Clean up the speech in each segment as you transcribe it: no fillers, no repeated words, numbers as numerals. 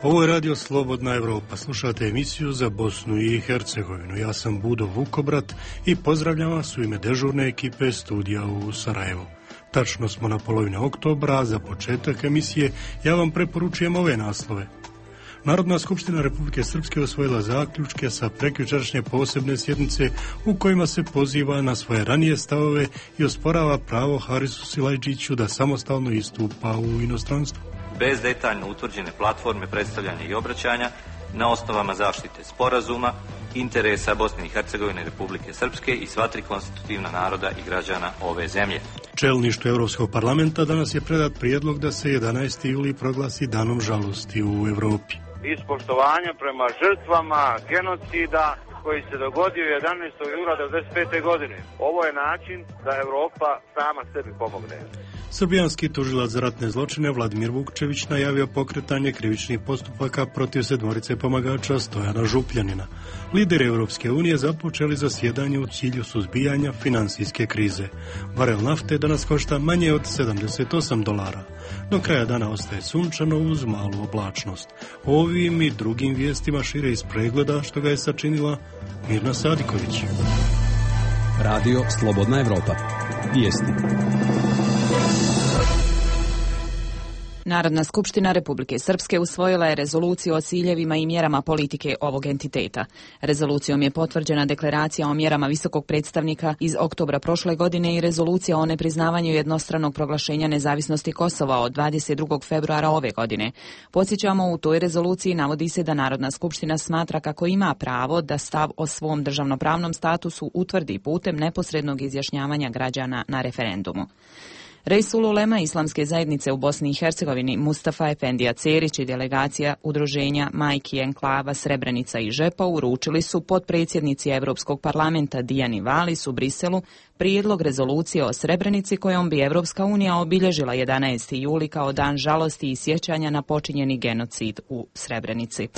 Ovo je Radio Slobodna Evropa. Slušate emisiju za Bosnu i Hercegovinu. Ja sam Budo Vukobrat i pozdravljam vas u ime dežurne ekipe studija u Sarajevu. Tačno smo na polovini oktobra, a za početak emisije ja vam preporučujem ove naslove. Narodna skupština Republike Srpske osvojila zaključke sa prekjučerašnje posebne sjednice u kojima se poziva na svoje ranije stavove i osporava pravo Harisu Silajdžiću da samostalno istupa u inostranstvu. Bez detaljno utvrđene platforme predstavljanja i obraćanja na osnovama zaštite sporazuma, interesa Bosne i Hercegovine, Republike Srpske i sva tri konstitutivna naroda i građana ove zemlje. Čelništvu Europskog parlamenta danas je predat prijedlog da se 11. juli proglasi danom žalosti u Europi. Iz poštovanja prema žrtvama genocida koji se dogodio 11. jula 1995. godine. Ovo je način da Europa sama sebi pomogne. Srbijanski tužilac za ratne zločine Vladimir Vukčević najavio pokretanje krivičnih postupaka protiv sedmorice pomagača Stojana Župljanina. Lideri Europske unije započeli zasjedanje u cilju suzbijanja financijske krize. Barel nafte danas košta manje od $78. Do kraja dana ostaje sunčano uz malu oblačnost. Ovim i drugim vijestima šire iz pregleda što ga je sačinila Mirna Sadiković. Radio Slobodna Evropa. Vijesti. Narodna skupština Republike Srpske usvojila je rezoluciju o ciljevima i mjerama politike ovog entiteta. Rezolucijom je potvrđena deklaracija o mjerama visokog predstavnika iz oktobra prošle godine i rezolucija o nepriznavanju jednostranog proglašenja nezavisnosti Kosova od 22. februara ove godine. Podsjećamo, u toj rezoluciji navodi se da Narodna skupština smatra kako ima pravo da stav o svom državnopravnom statusu utvrdi putem neposrednog izjašnjavanja građana na referendumu. Reisul ulema Islamske zajednice u Bosni i Hercegovini Mustafa Efendija Cerić i delegacija udruženja Majki Enklava Srebrenica i Žepa uručili su potpredsjednici Europskog parlamenta Dijani Valis u Briselu prijedlog rezolucije o Srebrenici kojom bi Evropska unija obilježila 11. juli kao dan žalosti i sjećanja na počinjeni genocid u Srebrenici.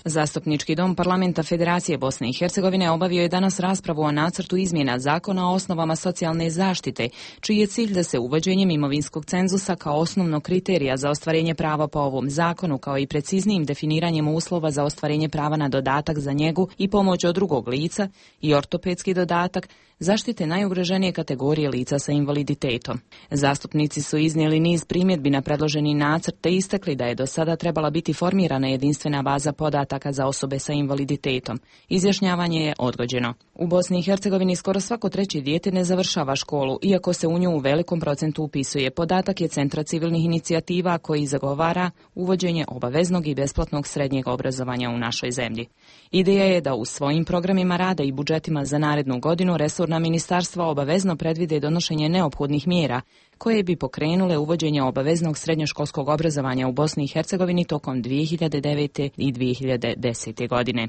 Zastupnički dom Parlamenta Federacije Bosne i Hercegovine obavio je danas raspravu o nacrtu izmjena zakona o osnovama socijalne zaštite, čiji je cilj da se uvođenjem imovinskog cenzusa kao osnovnog kriterija za ostvarenje prava po ovom zakonu, kao i preciznijim definiranjem uslova za ostvarenje prava na dodatak za njegu i pomoć od drugog lica i ortopedski dodatak, zaštite najugroženije kategorije lica sa invaliditetom. Zastupnici su iznijeli niz primjedbi na predloženi nacrt te istakli da je do sada trebala biti formirana jedinstvena baza podataka za osobe sa invaliditetom. Izjašnjavanje je odgođeno. U Bosni i Hercegovini skoro svako treće dijete ne završava školu, iako se u nju u velikom procentu upisuje. Podatak je Centra civilnih inicijativa koji zagovara uvođenje obaveznog i besplatnog srednjeg obrazovanja u našoj zemlji. Ideja je da u svojim programima rada i budžetima za narednu godinu resorna ministarstva obavezno predvide donošenje neophodnih mjera koje bi pokrenule uvođenje obaveznog srednjoškolskog obrazovanja u Bosni i Hercegovini tokom 2009. i 2010. godine.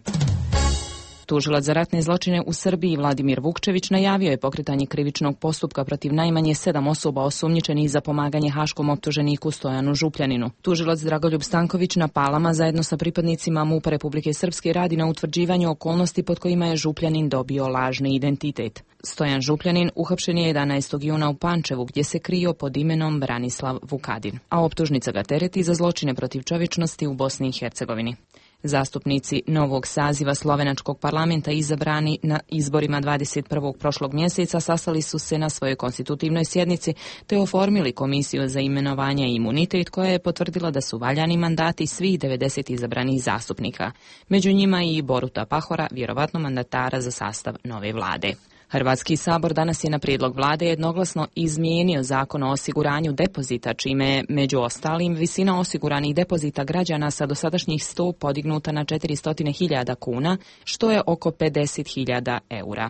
Tužilac za ratne zločine u Srbiji Vladimir Vukčević najavio je pokretanje krivičnog postupka protiv najmanje 7 osoba osumnjičenih za pomaganje haškom optuženiku Stojanu Župljaninu. Tužilac Dragoljub Stanković na Palama zajedno sa pripadnicima MUP-a Republike Srpske radi na utvrđivanju okolnosti pod kojima je Župljanin dobio lažni identitet. Stojan Župljanin uhapšen je 11. juna u Pančevu gdje se krio pod imenom Branislav Vukadin, a optužnica ga tereti za zločine protiv čovječnosti u Bosni i Hercegovini. Zastupnici novog saziva slovenačkog parlamenta izabrani na izborima 21. prošlog mjeseca sastali su se na svojoj konstitutivnoj sjednici te oformili komisiju za imenovanje i imunitet koja je potvrdila da su valjani mandati svih 90 izabranih zastupnika. Među njima i Boruta Pahora, vjerovatno mandatara za sastav nove vlade. Hrvatski sabor danas je na prijedlog vlade jednoglasno izmijenio zakon o osiguranju depozita, čime je među ostalim visina osiguranih depozita građana sa dosadašnjih 100 podignuta na 400.000 kuna, što je oko 50.000 eura.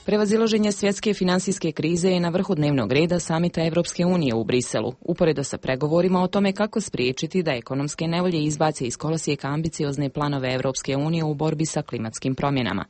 Prevazilaženje svjetske financijske krize je na vrhu dnevnog reda samita Evropske unije u Briselu, uporedo sa pregovorima o tome kako spriječiti da ekonomske nevolje izbace iz kolosijeka ambiciozne planove Evropske unije u borbi sa klimatskim promjenama.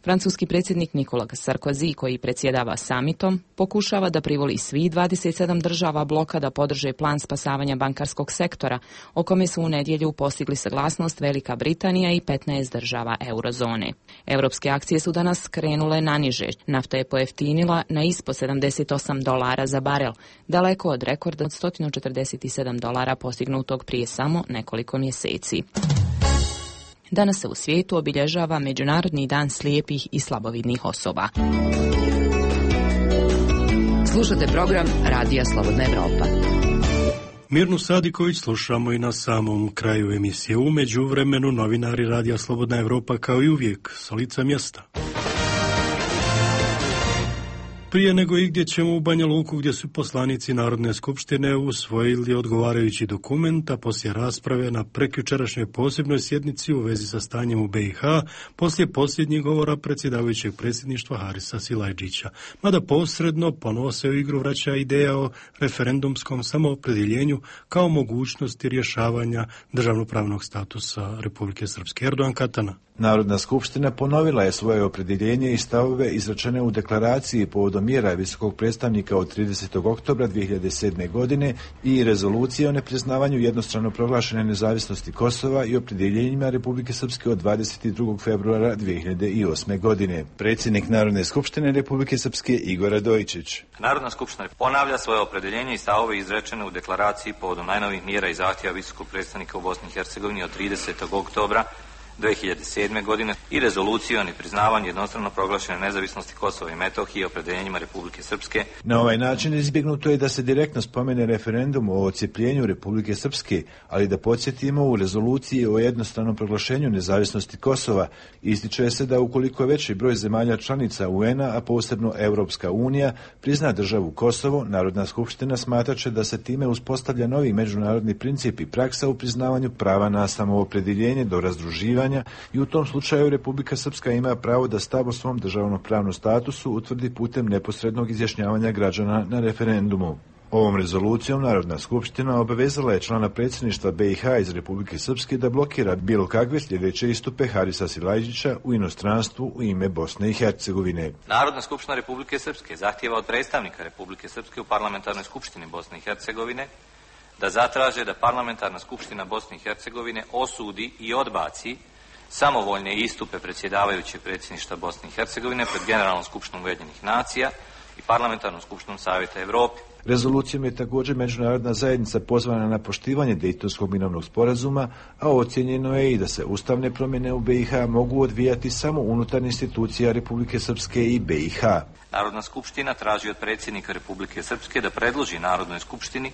Francuski predsjednik Nicolas Sarkozy, koji predsjedava samitom, pokušava da privoli svih 27 država bloka da podrže plan spasavanja bankarskog sektora, o kome su u nedjelju postigli saglasnost Velika Britanija i 15 država eurozone. Europske akcije su danas krenule naniže. Nafta je pojeftinila na ispod $78 za barel, daleko od rekorda od $147 postignutog prije samo nekoliko mjeseci. Danas se u svijetu obilježava Međunarodni dan slijepih i slabovidnih osoba. Slušate program Radija Slobodna Evropa. Mirnu Sadiković slušamo i na samom kraju emisije. U međuvremenu novinari Radija Slobodna Evropa kao i uvijek sa lica mjesta. Prije nego igdje ćemo u Banja Luku, gdje su poslanici Narodne skupštine usvojili odgovarajući dokument, a poslije rasprave na prekjučerašnjoj posebnoj sjednici u vezi sa stanjem u BiH, poslije posljednjih govora predsjedavajućeg predsjedništva Harisa Silajdžića. Mada posredno ponovo se u igru vraća ideja o referendumskom samoopredjeljenju kao mogućnosti rješavanja državnopravnog statusa Republike Srpske. Erdogan Katana. Narodna skupština ponovila je svoje opredjeljenje i stavove izrečene u deklaraciji povodom mjera visokog predstavnika od 30. oktobra 2007. godine i rezolucije o nepriznavanju jednostrano proglašene nezavisnosti Kosova i opredjeljenjima Republike Srpske od 22. februara 2008. godine. Predsjednik Narodne skupštine Republike Srpske Igor Radojičić. Narodna skupština ponavlja svoje opredjeljenje i stavove izrečene u deklaraciji povodom najnovijih mjera i zahtjeva visokog predstavnika u Bosni i Hercegovini od 30. oktobra 2007. godine i rezoluciju o nepriznavanju jednostrano proglašene nezavisnosti Kosova i Metohije i opredjeljenjima Republike Srpske. Na ovaj način izbjegnuto je da se direktno spomene referendum o odcijepljenju Republike Srpske, ali da podsjetimo u rezoluciji o jednostranom proglašenju nezavisnosti Kosova ističe se da ukoliko veći broj zemalja članica UN-a, a posebno Europska unija, prizna državu Kosovo, Narodna skupština smatraće da se time uspostavlja novi međunarodni princip i praksa u priznavanju prava na samoopredjeljenje do razdruživanja i u tom slučaju Republika Srpska ima pravo da stav o svom državnopravnom statusu utvrdi putem neposrednog izjašnjavanja građana na referendumu. Ovom rezolucijom Narodna skupština obavezala je člana predsjedništva BiH iz Republike Srpske da blokira bilo kakve sljedeće istupe Harisa Silajdžića u inostranstvu u ime Bosne i Hercegovine. Narodna skupština Republike Srpske zahtijeva od predstavnika Republike Srpske u parlamentarnoj skupštini Bosne i Hercegovine da zatraže da parlamentarna skupština Bosne i Hercegovine osudi i odbaci samovoljne istupe predsjedavajućeg predsjedništva Bosne i Hercegovine pred Generalnom skupštinom Ujedinjenih nacija i parlamentarnom skupštinom Savjeta Evrope. Rezolucijom je također međunarodna zajednica pozvana na poštivanje Dejtonskog mirovnog sporazuma, a ocjenjeno je i da se ustavne promjene u BiH mogu odvijati samo unutar institucija Republike Srpske i BiH. Narodna skupština traži od predsjednika Republike Srpske da predloži Narodnoj skupštini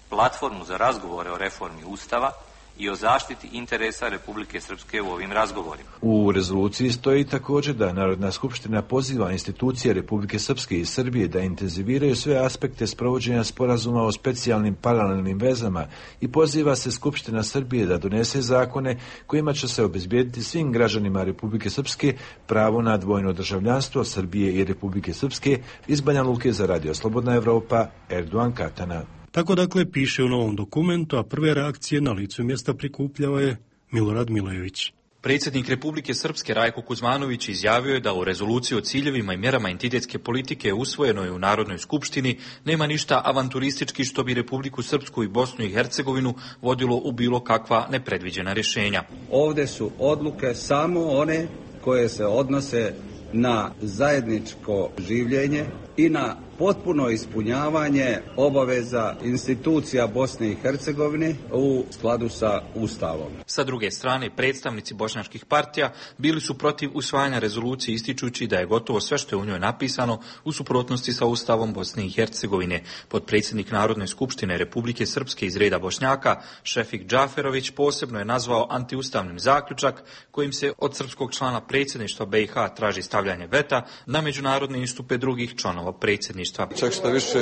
platformu za razgovore o reformi Ustava i o zaštiti interesa Republike Srpske u ovim razgovorima. U rezoluciji stoji također da Narodna skupština poziva institucije Republike Srpske i Srbije da intenziviraju sve aspekte sprovođenja sporazuma o specijalnim paralelnim vezama i poziva se Skupština Srbije da donese zakone kojima će se obezbijediti svim građanima Republike Srpske pravo na dvojno državljanstvo Srbije i Republike Srpske. Iz Banja Luke za Radio Slobodna Evropa, Erdogan Katana. Tako dakle piše u novom dokumentu, a prve reakcije na licu mjesta prikupljava je Milorad Milojević. Predsjednik Republike Srpske Rajko Kuzmanović izjavio je da u rezoluciji o ciljevima i mjerama entitetske politike usvojenoj u Narodnoj skupštini nema ništa avanturistički što bi Republiku Srpsku i Bosnu i Hercegovinu vodilo u bilo kakva nepredviđena rješenja. Ovdje su odluke samo one koje se odnose na zajedničko življenje i na potpuno ispunjavanje obaveza institucija Bosne i Hercegovine u skladu sa Ustavom. Sa druge strane, predstavnici bošnjačkih partija bili su protiv usvajanja rezolucije ističući da je gotovo sve što je u njoj napisano u suprotnosti sa Ustavom Bosne i Hercegovine. Potpredsjednik Narodne skupštine Republike Srpske iz reda Bošnjaka, Šefik Džaferović, posebno je nazvao antiustavnim zaključak kojim se od srpskog člana predsjedništva BiH traži stavljanje veta na međunarodne istupe drugih članova predsjedništva. predsjedništva. Čak što više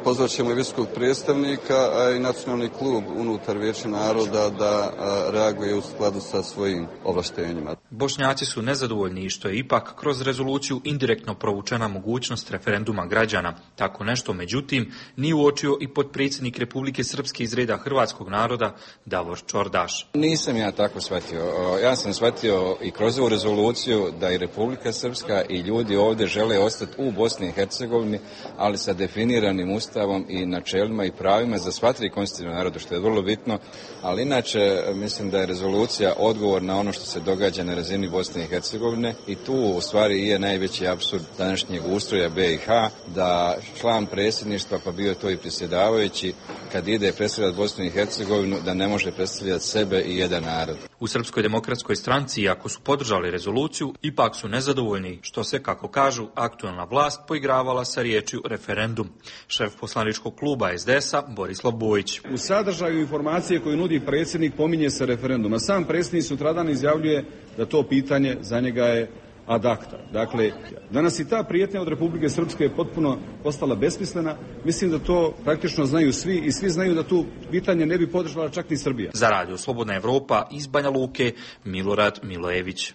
pozvat ćemo i visokog predstavnika, a i nacionalni klub unutar Vijeća naroda da reaguje u skladu sa svojim ovlaštenjima. Bošnjaci su nezadovoljni što je ipak kroz rezoluciju indirektno provučena mogućnost referenduma građana. Tako nešto, međutim, nije uočio i potpredsjednik Republike Srpske iz reda hrvatskog naroda Davor Čordaš. Nisam ja tako shvatio. Ja sam shvatio i kroz ovu rezoluciju da i Republika Srpska i ljudi ovdje žele ostati u Bosni i Hercegovini, ali sa definiranim ustavom i načelima i pravima za sva tri konstitutivna naroda, što je vrlo bitno. Ali inače, mislim da je rezolucija odgovor na ono što se događa na razini Bosne i Hercegovine i tu u stvari je najveći apsurd današnjeg ustroja BiH, da član predsjedništva, pa bio to i predsjedavajući, kad ide predstavljati Bosnu i Hercegovinu, da ne može predstavljati sebe i jedan narod. U Srpskoj demokratskoj stranci, iako su podržali rezoluciju, ipak su nezadovoljni što se, kako kažu, aktualna vlast poigravala sa riječju referendum. Šef poslaničkog kluba SDS-a Borislav Bojić. U sadržaju informacije koju nudi predsjednik pominje se referendum, a sam predsjednik sutradan izjavljuje da to pitanje za njega je ad acta. Dakle, danas i ta prijetnja od Republike Srpske je potpuno postala besmislena. Mislim da to praktično znaju svi i svi znaju da tu pitanje ne bi podržala čak ni Srbija. Za Radio Slobodna Evropa iz Banja Luke, Milorad Milojević.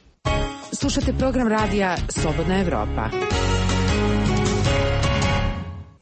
Slušate program radija Slobodna Evropa.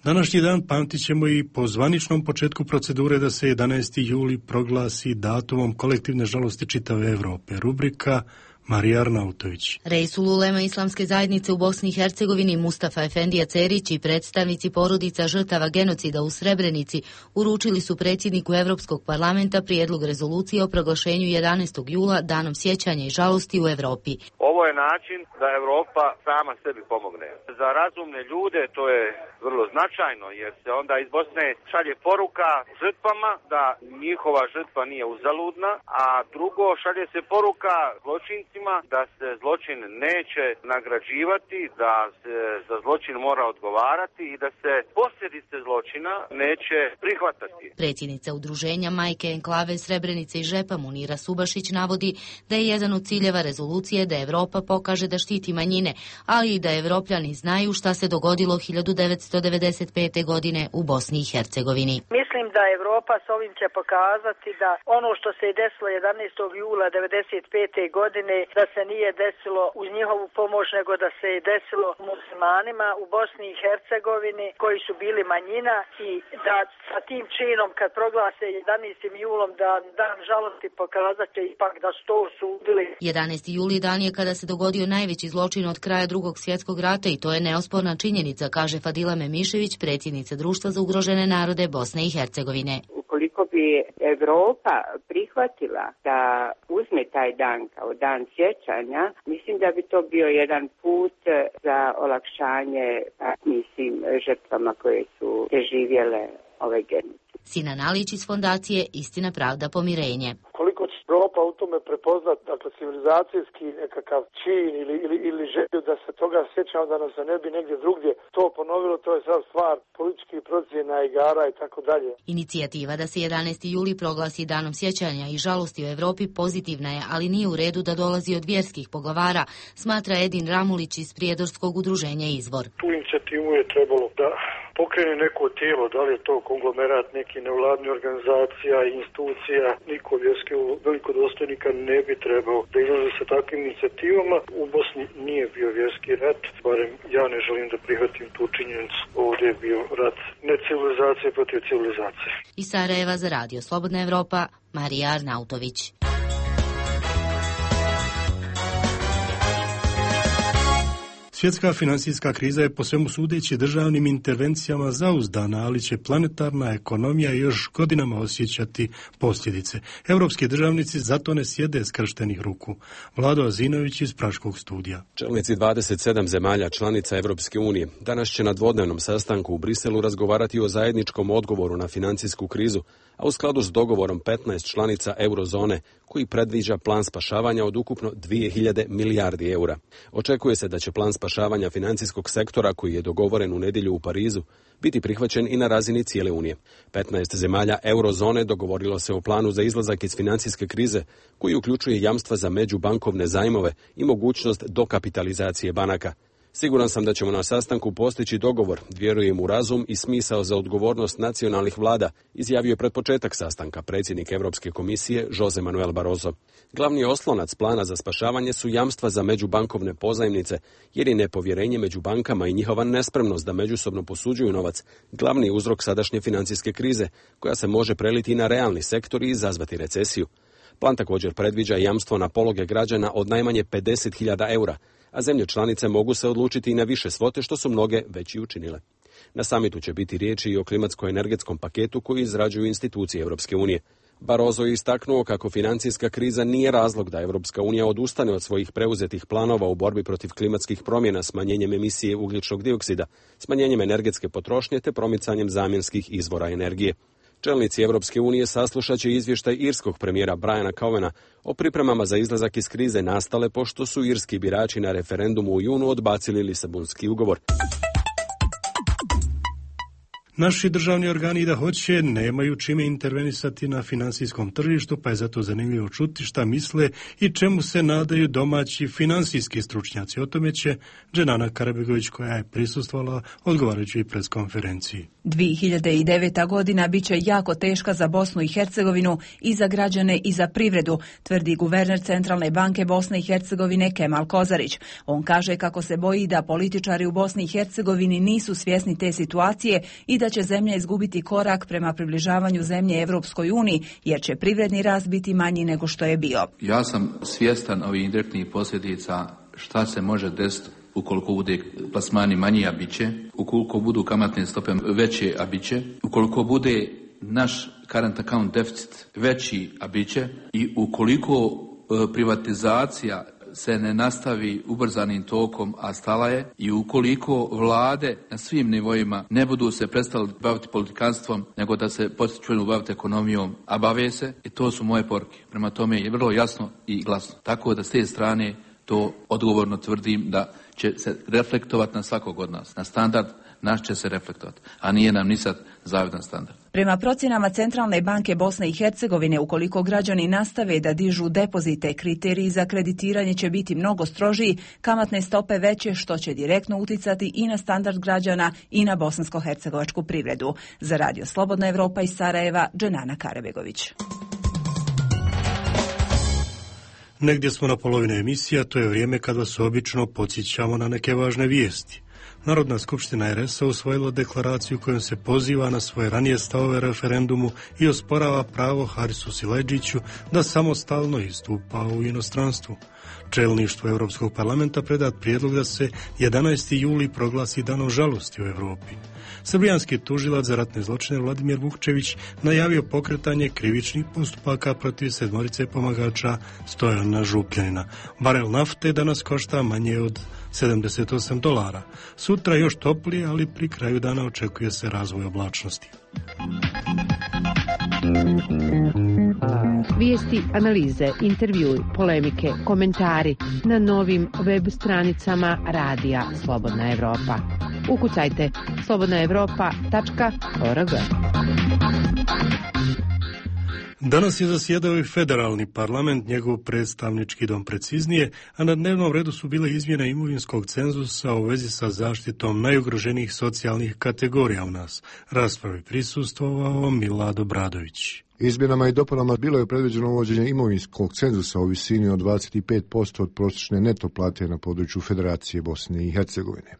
Današnji dan pamtit ćemo i po zvaničnom početku procedure da se 11. juli proglasi datumom kolektivne žalosti čitave Evrope. Rubrika Marija Arnautović. Reisul ulema Islamske zajednice u Bosni i Hercegovini Mustafa Efendija Cerić i predstavnici porodica žrtava genocida u Srebrenici uručili su predsjedniku Europskog parlamenta prijedlog rezolucije o proglašenju 11. jula danom sjećanja i žalosti u Evropi. Ovo je način da Europa sama sebi pomogne. Za razumne ljude to je vrlo značajno jer se onda iz Bosne šalje poruka žrtvama da njihova žrtva nije uzaludna, a drugo šalje se poruka zločincima da se zločin neće nagrađivati, da se za zločin mora odgovarati i da se posljedice zločina neće prihvatati. Predsjednica udruženja Majke Enklave Srebrenice i Žepa Munira Subašić navodi da je jedan od ciljeva rezolucije da Evropa pokaže da štiti manjine, ali i da Evropljani znaju šta se dogodilo 1995. godine u Bosni i Hercegovini. Mislim da Evropa s ovim će pokazati da ono što se je desilo 11. jula 1995. godine da se nije desilo uz njihovu pomoć, nego da se je desilo muslimanima u Bosni i Hercegovini koji su bili manjina i da sa tim činom kad proglase 11. julom da dan žalosti pokazat će ipak da su to osudili. 11. juli dan je kada se dogodio najveći zločin od kraja Drugog svjetskog rata i to je neosporna činjenica, kaže Fadila Memišević, predsjednica Društva za ugrožene narode Bosne i Hercegovine. Ukoliko bi Evropa prihvatila da uzme taj dan kao dan sjećanja, mislim da bi to bio jedan put za olakšanje žrtvama koje su preživjele ove genocide. Sinan Alić iz fondacije Istina, pravda, pomirenje. Koliko će Evropa u tome prepoznat, dakle, civilizacijski nekakav čin ili želju da se toga sjećamo, da nam se ne bi negdje drugdje to ponovilo, to je sad stvar političkih procjena, igara i tako dalje. Inicijativa da se 11. juli proglasi danom sjećanja i žalosti u Evropi pozitivna je, ali nije u redu da dolazi od vjerskih poglavara, smatra Edin Ramulić iz prijedorskog udruženja Izvor. Tu inicijativu je trebalo da pokrene neko tijelo, da li je to konglomerat neki nevladnih organizacija i institucija, niko vjerski velikodostojnika ne bi trebao da izlaze sa takvim inicijativama. U Bosni nije bio vjerski rat, barem ja ne želim da prihvatim tu činjenicu. Ovdje je bio rat ne civilizacije protiv civilizacije. Iz Sarajeva za Radio Slobodna Evropa, Marija Arnautović. Svjetska financijska kriza je po svemu sudeći državnim intervencijama zauzdana, ali će planetarna ekonomija još godinama osjećati posljedice. Europski državnici zato ne sjede skrštenih ruku. Vlado Azinović iz Praškog studija. Čelnici 27 zemalja članica Europske unije danas će na dvodnevnom sastanku u Briselu razgovarati o zajedničkom odgovoru na financijsku krizu, a u skladu s dogovorom 15 članica eurozone koji predviđa plan spašavanja od ukupno 2000 milijardi eura. Očekuje se da će plan spašavanja financijskog sektora koji je dogovoren u nedjelju u Parizu biti prihvaćen i na razini cijele Unije. 15 zemalja eurozone dogovorilo se o planu za izlazak iz financijske krize koji uključuje jamstva za međubankovne zajmove i mogućnost dokapitalizacije banaka. Siguran sam da ćemo na sastanku postići dogovor, vjerujem u razum i smisao za odgovornost nacionalnih vlada, izjavio je pred početak sastanka predsjednik Europske komisije Jose Manuel Barroso. Glavni oslonac plana za spašavanje su jamstva za međubankovne pozajmnice, jer je nepovjerenje među bankama i njihova nespremnost da međusobno posuđuju novac glavni uzrok sadašnje financijske krize, koja se može preliti na realni sektor i izazvati recesiju. Plan također predviđa jamstvo na pologe građana od najmanje 50.000 eura, a zemlje članice mogu se odlučiti i na više svote, što su mnoge već i učinile. Na samitu će biti riječi i o klimatsko-energetskom paketu koji izrađuju institucije Europske unije. Barroso je istaknuo kako financijska kriza nije razlog da Europska unija odustane od svojih preuzetih planova u borbi protiv klimatskih promjena smanjenjem emisije ugljičnog dioksida, smanjenjem energetske potrošnje te promicanjem zamjenskih izvora energije. Čelnici Europske unije saslušat će izvještaj irskog premijera Briana Cowena o pripremama za izlazak iz krize nastale pošto su irski birači na referendumu u junu odbacili Lisabonski ugovor. Naši državni organi da hoće nemaju čime intervenisati na financijskom tržištu, pa je zato zanimljivo čuti šta misle i čemu se nadaju domaći financijski stručnjaci. O tome će Dženana Karabegović, koja je prisustvovala odgovarajućoj preskonferenciji. 2009. godina bit će jako teška za Bosnu i Hercegovinu i za građane i za privredu, tvrdi guverner Centralne banke Bosne i Hercegovine Kemal Kozarić. On kaže kako se boji da političari u Bosni i Hercegovini nisu svjesni te situacije i da će zemlja izgubiti korak prema približavanju zemlje Evropskoj uniji, jer će privredni rast biti manji nego što je bio. Ja sam svjestan ovih indirektnih posljedica šta se može desiti ukoliko bude plasmani manji, a bit će, ukoliko budu kamatne stope veće, a bit će, ukoliko bude naš current account deficit veći, a bit će, i ukoliko privatizacija se ne nastavi ubrzanim tokom, a stala je, i ukoliko vlade na svim nivoima ne budu se prestali baviti politikanstvom, nego da se potiču baviti ekonomijom, a bave se, i to su moje poruke. Prema tome je vrlo jasno i glasno. Tako da s te strane to odgovorno tvrdim da će se reflektovati na svakog od nas. Na standard naš će se reflektovati, a nije nam ni sad zavidan standard. Prema procjenama Centralne banke Bosne i Hercegovine, ukoliko građani nastave da dižu depozite, kriteriji za kreditiranje će biti mnogo strožiji, kamatne stope veće, što će direktno uticati i na standard građana i na bosansko-hercegovačku privredu. Za Radio Slobodna Evropa iz Sarajeva, Dženana Karabegović. Negdje smo na polovini emisija, to je vrijeme kad vas obično podsjećamo na neke važne vijesti. Narodna skupština RS-a usvojila deklaraciju kojom se poziva na svoje ranije stavove referendumu i osporava pravo Harisu Siledžiću da samostalno istupa u inostranstvu. Čelništvo Europskog parlamenta predat prijedlog da se 11. juli proglasi danom žalosti u Europi. Srbijanski tužilac za ratne zločine Vladimir Vukčević najavio pokretanje krivičnih postupaka protiv 7 pomagača Stojana Župljanina. Barel nafte danas košta manje od $78. Sutra još toplije, ali pri kraju dana očekuje se razvoj oblačnosti. Vijesti, analize, intervjui, polemike, komentari na novim web stranicama Radija Slobodna Evropa. Ukucajte slobodnaevropa.org. Danas je zasjedao i federalni parlament, njegov predstavnički dom preciznije, a na dnevnom redu su bile izmjene imovinskog cenzusa u vezi sa zaštitom najugroženijih socijalnih kategorija u nas. Raspravi prisustvovao Milad Obradović. Izmjenama i dopunama bilo je predviđeno uvođenje imovinskog cenzusa u visini od 25% od prosječne neto plate na području Federacije Bosne i Hercegovine.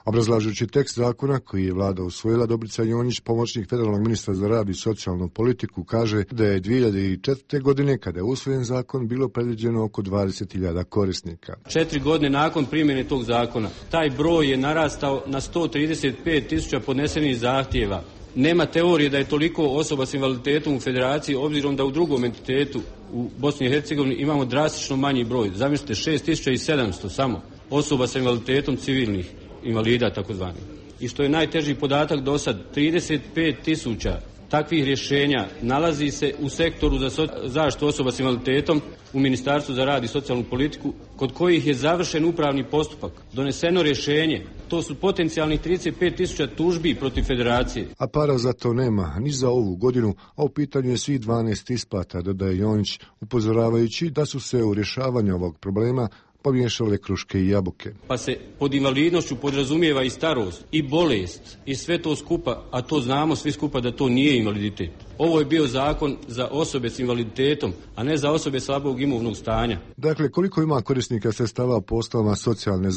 Obrazlažući tekst zakona koji je vlada usvojila, Dobrica Jonjić, pomoćnik federalnog ministra za rad i socijalnu politiku, kaže da je 2004. godine, kada je usvojen zakon, bilo predviđeno oko 20.000 korisnika. 4 godine nakon primjene tog zakona, taj broj je narastao na 135.000 podnesenih zahtjeva. Nema teorije da je toliko osoba s invaliditetom u federaciji, obzirom da u drugom entitetu u Bosni i Hercegovini imamo drastično manji broj. Zamislite, 6.700 samo osoba s invaliditetom civilnih invalida takozvani. I što je najteži podatak do sad, 35.000 takvih rješenja nalazi se u sektoru za zaštitu osoba s invaliditetom u Ministarstvu za rad i socijalnu politiku, kod kojih je završen upravni postupak, doneseno rješenje. To su potencijalnih 35.000 tužbi protiv federacije. A para za to nema ni za ovu godinu, a u pitanju je svih 12 isplata, dodaje Jonjić, upozoravajući da su se u rješavanju ovog problema pomiješale kruške i jabuke. Pa se pod invalidnošću podrazumijeva i starost, i bolest, i sve to skupa, a to znamo svi skupa da to nije invaliditet. Ovo je bio zakon za osobe s invaliditetom, a ne za osobe slabog imovnog stanja. Dakle, koliko ima korisnika sredstava po osnovama socijalne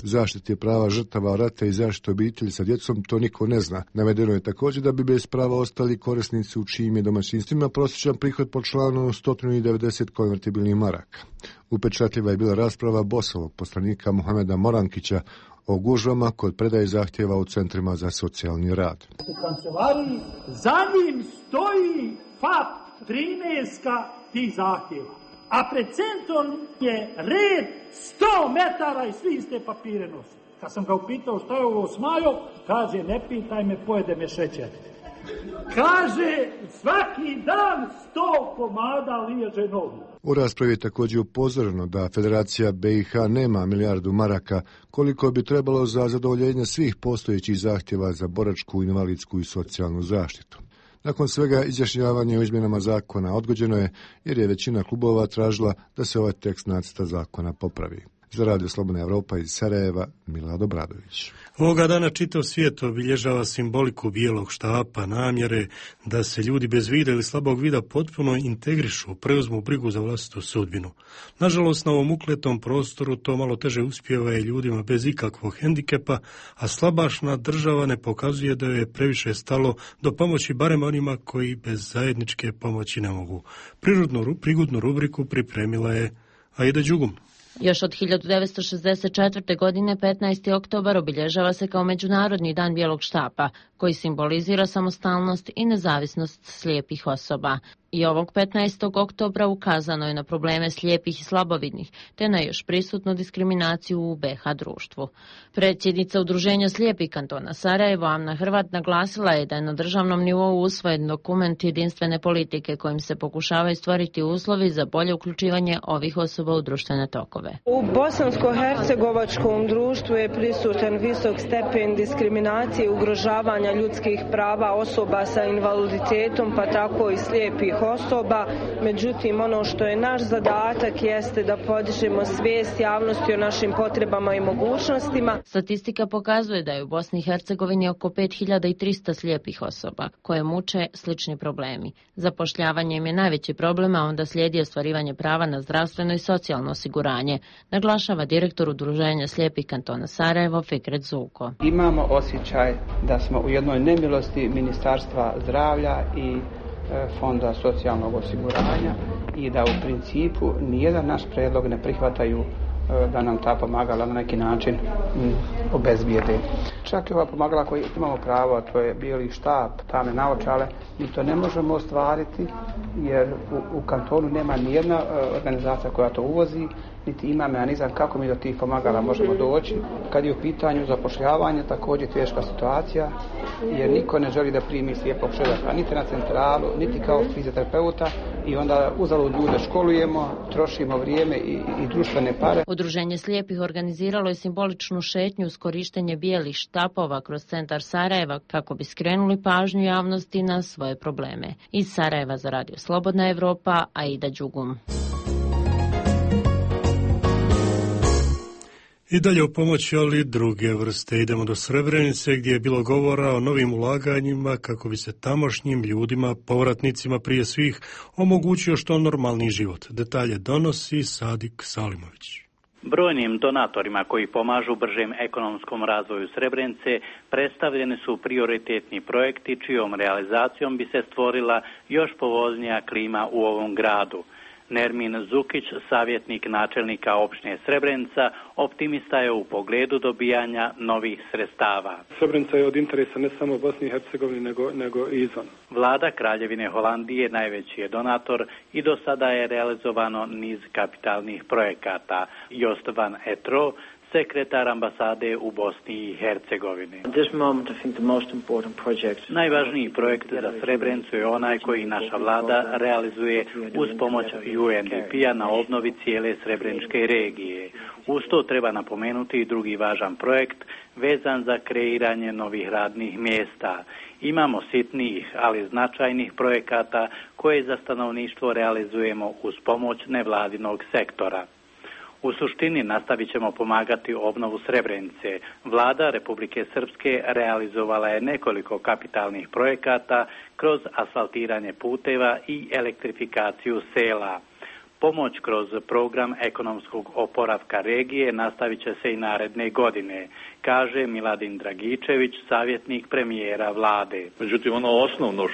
zaštite prava žrtava rata i zaštite obitelji sa djecom, to niko ne zna. Navedeno je također da bi bez prava ostali korisnici u čijim je domaćinstvima prosječan prihod po članu 190 konvertibilnih maraka. Upečatljiva je bila rasprava Bosovog poslanika Mohameda Morankića o gužvama kod predaje zahtjeva u centrima za socijalni rad. U kancelariji za njim stoji FAP 13 tih zahtjeva, a pred centrom je red 100 metara i svi iste papire nosi. Kad sam ga upitao šta je ovo Smajo, kaže ne pitaj me, pojede me šećer. Kaže svaki dan 100 komada liježe nogu. U raspravi je također upozoreno da Federacija BiH nema milijardu maraka koliko bi trebalo za zadovoljenje svih postojećih zahtjeva za boračku, invalidsku i socijalnu zaštitu. Nakon svega izjašnjavanje o izmjenama zakona odgođeno je jer je većina klubova tražila da se ovaj tekst nacrta zakona popravi. Za Radio Slobodna Evropa iz Sarajeva, Milad Obradović. Ovoga dana čitav svijet obilježava simboliku bijelog štapa, namjere da se ljudi bez vida ili slabog vida potpuno integrišu, preuzmu brigu za vlastitu sudbinu. Nažalost, na ovom ukletom prostoru to malo teže uspijeva i ljudima bez ikakvog hendikepa, a slabašna država ne pokazuje da je previše stalo do pomoći barem onima koji bez zajedničke pomoći ne mogu. Prigodnu rubriku pripremila je Aida Đugum. Još od 1964. godine 15. oktobar obilježava se kao Međunarodni dan bijelog štapa, koji simbolizira samostalnost i nezavisnost slijepih osoba. I ovog 15. oktobra ukazano je na probleme slijepih i slabovidnih, te na još prisutnu diskriminaciju u BiH društvu. Predsjednica Udruženja slijepih kantona Sarajevo, Amna Hrvat, naglasila je da je na državnom nivou usvojen dokument jedinstvene politike kojim se pokušavaju stvoriti uslovi za bolje uključivanje ovih osoba u društvene tokove. U bosansko-hercegovačkom društvu je prisutan visok stepen diskriminacije i ugrožavanja ljudskih prava osoba sa invaliditetom, pa tako i slijepih osoba. Međutim, ono što je naš zadatak jeste da podižemo svijest javnosti o našim potrebama i mogućnostima. Statistika pokazuje da je u Bosni i Hercegovini oko 5300 slijepih osoba koje muče slični problemi. Zapošljavanje im je najveći problem, a onda slijedi ostvarivanje prava na zdravstveno i socijalno osiguranje, naglašava direktor Udruženja slijepih kantona Sarajevo Fikret Zuko. Imamo osjećaj da smo u jednoj nemilosti Ministarstva zdravlja i Fonda socijalnog osiguranja i da u principu nijedan naš predlog ne prihvataju da nam ta pomagala na neki način obezbijede. Čak i ova pomagala koje imamo pravo, a to je bijeli štap, tamne naočale, mi to ne možemo ostvariti jer u kantonu nema nijedna organizacija koja to uvozi, niti ima mehanizam kako mi do tih pomagala možemo doći. Kad je u pitanju zapošljavanje, također teška situacija, jer niko ne želi da primi slijepog čovjeka, niti na centralu, niti kao fizioterapeuta i onda uzalud ljude školujemo, trošimo vrijeme i društvene pare. Udruženje slijepih organiziralo je simboličnu šetnju uz korištenje bijelih štapova kroz centar Sarajeva kako bi skrenuli pažnju javnosti na svoje probleme. Iz Sarajeva za Radio Slobodna Evropa, Aida Đugum. I dalje o pomoći, ali druge vrste. Idemo do Srebrenice gdje je bilo govora o novim ulaganjima kako bi se tamošnjim ljudima, povratnicima prije svih, omogućio što normalni život. Detalje donosi Sadik Salimović. Brojnim donatorima koji pomažu bržem ekonomskom razvoju Srebrenice predstavljeni su prioritetni projekti čijom realizacijom bi se stvorila još povoljnija klima u ovom gradu. Nermin Zukić, savjetnik načelnika opštine Srebrenica, optimista je u pogledu dobijanja novih sredstava. Srebrenica je od interesa ne samo Bosni i Hercegovini, nego i izvan. Vlada Kraljevine Holandije najveći je donator i do sada je realizovano niz kapitalnih projekata. Jost van Etro, sekretar ambasade u Bosni i Hercegovini. Najvažniji projekt za Srebrenicu je onaj koji naša vlada realizuje uz pomoć UNDP-a na obnovi cijele srebreničke regije. Uz to treba napomenuti i drugi važan projekt vezan za kreiranje novih radnih mjesta. Imamo sitnijih, ali značajnih projekata koje za stanovništvo realizujemo uz pomoć nevladinog sektora. U suštini nastavit ćemo pomagati obnovu Srebrenice. Vlada Republike Srpske realizovala je nekoliko kapitalnih projekata kroz asfaltiranje puteva i elektrifikaciju sela. Pomoć kroz program ekonomskog oporavka regije nastavit će se i naredne godine, kaže Miladin Dragičević, savjetnik premijera vlade. Međutim, ono osnovno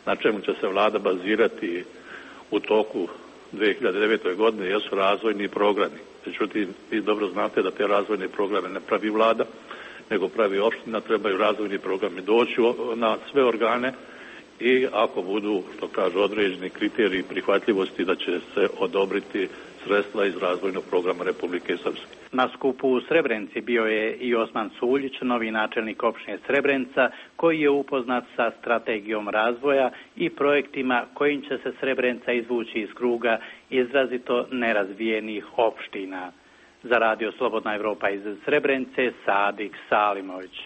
na čemu će se vlada bazirati u toku 2009. godine jesu razvojni programi. Međutim, vi dobro znate da te razvojne programe ne pravi vlada, nego pravi opština, trebaju razvojni programi doći na sve organe i ako budu, što kažu, određeni kriteriji prihvatljivosti, da će se odobriti sredstva iz razvojnog programa Republike Srpske. Na skupu u Srebrenici bio je i Osman Suljić, novi načelnik opštine Srebrenica, koji je upoznat sa strategijom razvoja i projektima kojim će se Srebrenica izvući iz kruga izrazito nerazvijenih opština. Za Radio Slobodna Evropa iz Srebrenice, Sadik Salimović.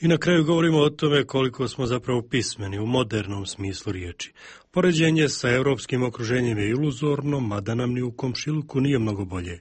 I na kraju govorimo o tome koliko smo zapravo pismeni u modernom smislu riječi. Poređenje sa europskim okruženjem je iluzorno, mada nam ni u komšiluku nije mnogo bolje.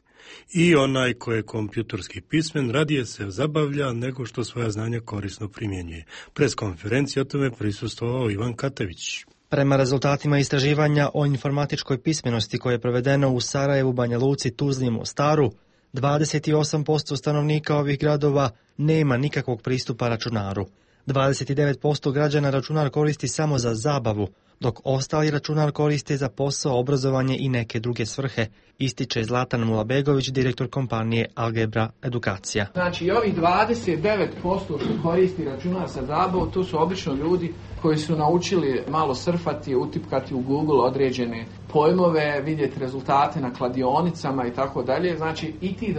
I onaj ko je kompjuterski pismen radije se zabavlja nego što svoja znanja korisno primjenjuje. Pres konferencije o tome prisustvovao Ivan Katević. Prema rezultatima istraživanja o informatičkoj pismenosti koje je provedeno u Sarajevu, Banja Luci, Tuzli i Mostaru, 28% stanovnika ovih gradova nema nikakvog pristupa računaru. 29% građana računar koristi samo za zabavu, dok ostali računar koriste za posao, obrazovanje i neke druge svrhe, ističe Zlatan Mulabegović, direktor kompanije Algebra Edukacija. Znači, ovih 29% što koristi računar za zabavu, to su obično ljudi koji su naučili malo surfati, utipkati u Google određene pojmove, vidjeti rezultate na kladionicama i tako dalje. Znači, i ti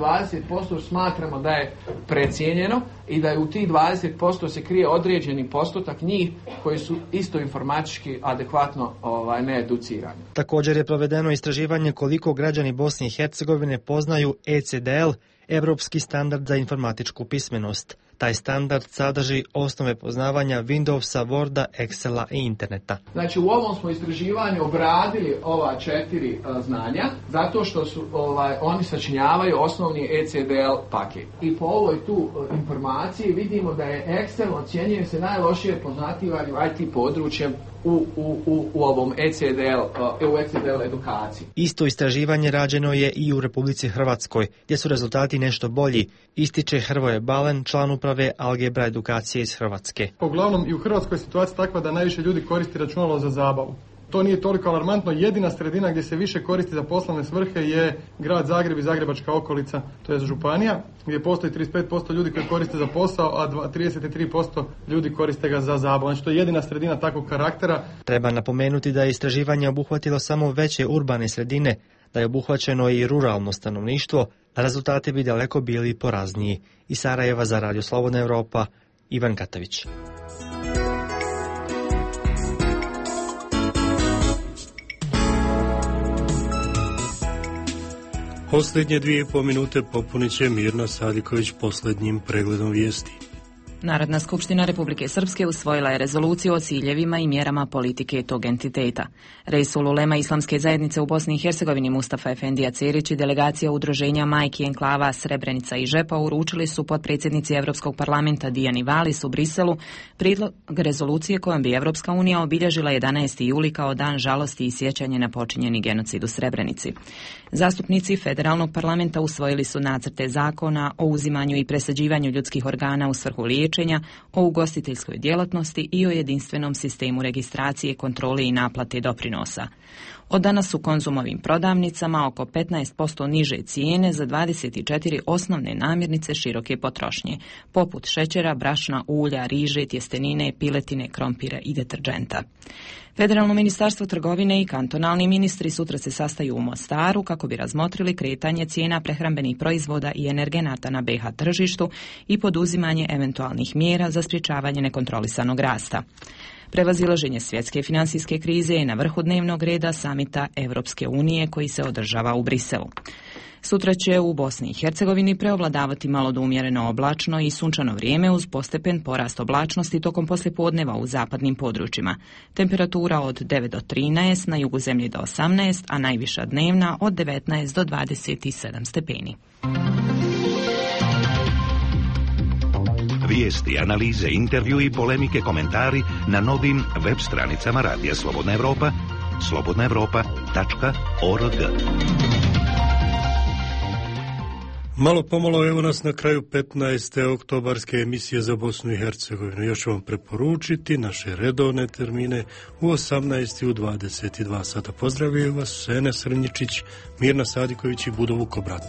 20% smatramo da je precijenjeno i da je u tih 20% se krije određeni postotak njih koji su isto informatički adekvatno needucirani. Također je provedeno istraživanje koliko građani Bosne i Hercegovine poznaju ECDL, Europski standard za informatičku pismenost. Taj standard sadrži osnove poznavanja Windowsa, Worda, Excela i interneta. Znači, u ovom smo istraživanju obradili ova 4 znanja, zato što su oni sačinjavaju osnovni ECDL paket. I po ovoj tu informaciji vidimo da je Excel ocjenjuje se najlošije poznativanju IT područjem u ovom ECDL edukaciji. Isto istraživanje rađeno je i u Republici Hrvatskoj, gdje su rezultati nešto bolji, ističe Hrvoje Balen, član uprave Algebra Edukacije iz Hrvatske. Uglavnom i u Hrvatskoj je situacija takva da najviše ljudi koristi računalo za zabavu. To nije toliko alarmantno. Jedina sredina gdje se više koristi za poslovne svrhe je grad Zagreb i Zagrebačka okolica, to je županija, gdje postoji 35% ljudi koji koriste za posao, a 33% ljudi koriste ga za zabavu. Znači, to je jedina sredina takvog karaktera. Treba napomenuti da je istraživanje obuhvatilo samo veće urbane sredine, da je obuhvaćeno i ruralno stanovništvo, a rezultati bi daleko bili porazniji. Iz Sarajeva za Radio Slobodna Evropa, Ivan Katavić. Posljednje 2,5 minute popunit će Mirna Sadiković posljednjim pregledom vijesti. Narodna skupština Republike Srpske usvojila je rezoluciju o ciljevima i mjerama politike tog entiteta. Reisul ulema Islamske zajednice u Bosni i Hercegovini Mustafa Efendija Cerić i delegacija udruženja Majki enklava Srebrenica i Žepa uručili su potpredsjednici Europskog parlamenta Dijani Valis u Briselu prijedlog rezolucije kojom bi Evropska unija obilježila 11. juli kao dan žalosti i sjećanje na počinjeni genocid u Srebrenici. Zastupnici federalnog parlamenta usvojili su nacrte zakona o uzimanju i presađivanju ljudskih organa u svrhu liječenja, o ugostiteljskoj djelatnosti i o jedinstvenom sistemu registracije, kontrole i naplate doprinosa. Od danas u Konzumovim prodavnicama oko 15% niže cijene za 24 osnovne namirnice široke potrošnje, poput šećera, brašna, ulja, riže, tjestenine, piletine, krompira i deterdženta. Federalno ministarstvo trgovine i kantonalni ministri sutra se sastaju u Mostaru kako bi razmotrili kretanje cijena prehrambenih proizvoda i energenata na BiH tržištu i poduzimanje eventualnih mjera za sprječavanje nekontrolisanog rasta. Prevazilaženje svjetske financijske krize je na vrhu dnevnog reda samita Europske unije koji se održava u Briselu. Sutra će u Bosni i Hercegovini preovladavati malo do umjereno oblačno i sunčano vrijeme uz postepen porast oblačnosti tokom poslijepodneva u zapadnim područjima. Temperatura od 9 do 13, na jugu zemlje do 18, a najviša dnevna od 19 do 27 stepeni. Vijesti, analize, intervju i polemike, komentari na novim web stranicama Radija Slobodna Evropa, slobodnaevropa.org. Malo pomalo evo nas na kraju 15. oktobarske emisije za Bosnu i Hercegovinu. Još ću vam preporučiti naše redovne termine u 18. i u 22 sata. Pozdravljaju vas Sene Srnjičić, Mirna Sadiković i Budo Vukobrat.